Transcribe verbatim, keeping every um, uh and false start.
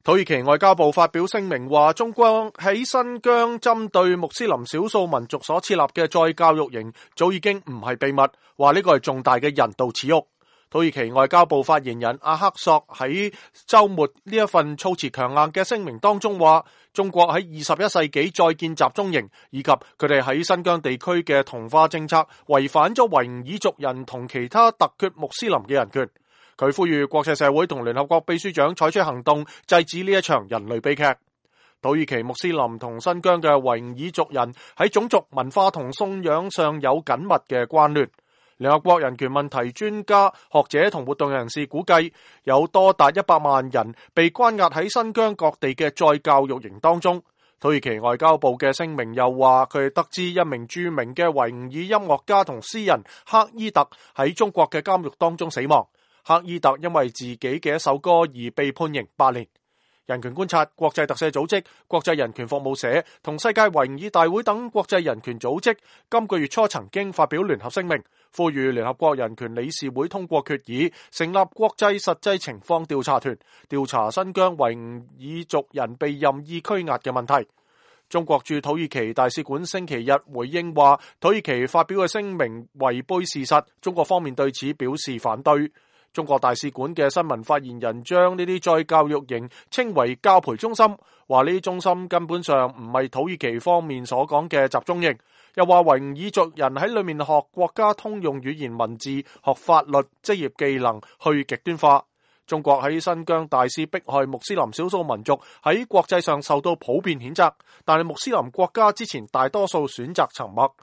土耳其外交部發表聲明話，中國喺新疆針對穆斯林少數民族所設立嘅再教育營早已經唔係秘密，話呢個係重大嘅人道恥辱。土耳其外交部發言人阿克索喺周末呢一份措辭強硬嘅聲明當中話，中國喺二十一世紀再建集中營以及佢哋喺新疆地區嘅同化政策，違反咗維吾爾族人同其他突厥穆斯林嘅人權。佢呼籲國際社會同聯合國秘書長採取行動，制止呢一場人類悲劇。土耳其穆斯林同新疆嘅維吾爾族人喺種族、文化同信仰上有緊密嘅關聯。聯合國人權問題專家、學者同活動人士估計，有多達一百萬人被關押喺新疆各地嘅再教育營當中。土耳其外交部嘅聲明又話，佢哋得知一名著名嘅維吾爾音樂家同詩人克伊特喺中國嘅監獄當中死亡。克伊特因為自己嘅一首歌而被判刑八年。人權觀察、國際特赦組織、國際人權服務社同世界維吾爾大會等國際人權組織今個月初曾經發表聯合聲明，呼籲聯合國人權理事會通過決議，成立國際實際情況調查團，調查新疆維吾爾族人被任意拘押嘅問題。中國駐土耳其大使館星期日回應話，土耳其發表嘅聲明違背事實，中國方面對此表示反對。中國大使館嘅新聞發言人將呢啲再教育營稱為教培中心，話呢啲中心根本上唔係土耳其方面所講嘅集中營，又話維吾爾族人喺裏面學國家通用語言文字、學法律、職業技能，去極端化。中國喺新疆大肆迫害穆斯林少數民族，喺國際上受到普遍譴責，但係穆斯林國家之前大多數選擇沉默。